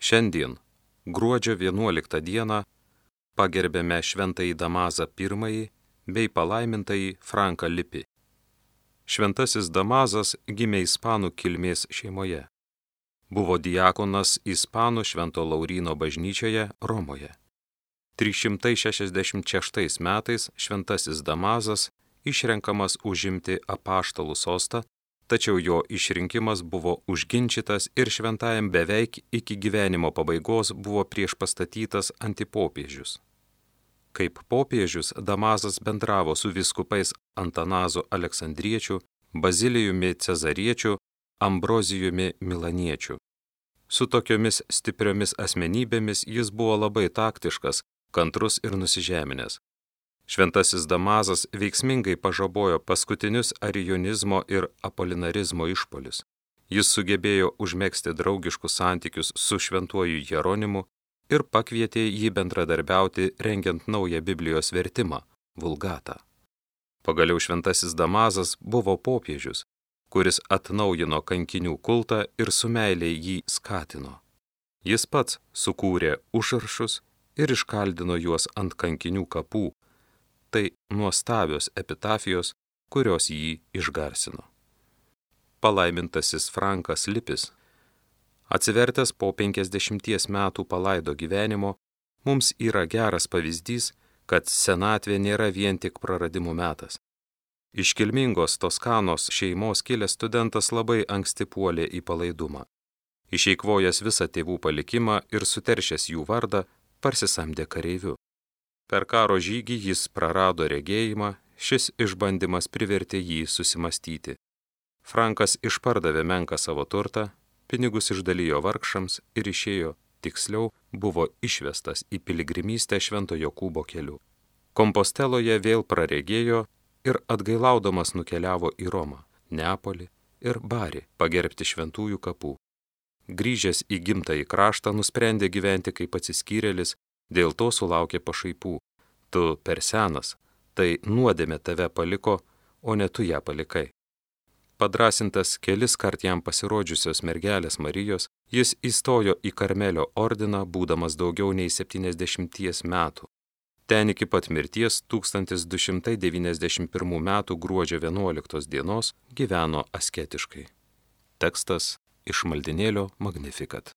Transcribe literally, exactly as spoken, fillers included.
Šiandien, gruodžio vienuoliktą dieną, pagerbėme šventąjį Damazą pirmąjį bei palaimintąjį Franką Lipį. Šventasis Damazas gimė ispanų kilmės šeimoje. Buvo diakonas ispanų Švento Lauryno bažnyčioje Romoje. trys šimtai šešiasdešimt šeštais metais šventasis Damazas išrenkamas užimti apaštalų sostą, tačiau jo išrinkimas buvo užginčytas ir šventajam beveik iki gyvenimo pabaigos buvo priešpastatytas antipopiežius. Kaip popiežius Damazas bendravo su vyskupais Antanazu Aleksandriečiu, Bazilijumi Cezariečiu, Ambrozijumi Milaniečiu. Su tokiomis stipriomis asmenybėmis jis buvo labai taktiškas, kantrus ir nusižeminęs. Šventasis Damazas veiksmingai pažabojo paskutinius arijonizmo ir apolinarizmo išpolius. Jis sugebėjo užmegzti draugiškus santykius su šventuoju Jeronimu ir pakvietė jį bendradarbiauti rengiant naują Biblijos vertimą – Vulgatą. Pagaliau šventasis Damazas buvo popiežius, kuris atnaujino kankinių kultą ir su meilė jį skatino. Jis pats sukūrė užrašus ir iškaldino juos ant kankinių kapų. Tai nuostabios epitafijos, kurios jį išgarsino. Palaimintasis Frankas Lipis, atsivertęs po penkiasdešimties metų palaido gyvenimo, mums yra geras pavyzdys, kad senatvė nėra vien tik praradimų metas. Iškilmingos Toskanos šeimos kilęs studentas labai anksti puolė į palaidumą. Išeikvojęs visą tėvų palikimą ir suteršęs jų vardą, parsisamdė kareiviu. Per karo žygį jis prarado regėjimą, šis išbandymas privertė jį susimastyti. Frankas išpardavė menką savo turtą, pinigus išdalijo vargšams ir išėjo, tiksliau, buvo išvestas į piligrimystę Švento Jokūbo keliu. Komposteloje vėl praregėjo ir atgailaudamas nukeliavo į Romą, Neapolį ir Barį pagerbti šventųjų kapų. Grįžęs į gimtąjį kraštą nusprendė gyventi kaip atsiskyrėlis, dėl to sulaukė pašaipų. Tu per senas, tai nuodėmė tave paliko, o ne tu ją palikai. Padrasintas kelis kart jam pasirodžiusios mergelės Marijos, jis įstojo į Karmelio ordiną, būdamas daugiau nei septyniasdešimties metų. Ten iki pat mirties tūkstantis du šimtai devyniasdešimt pirmų metų gruodžio vienuoliktos dienos gyveno asketiškai. Tekstas iš maldinėlio Magnificat.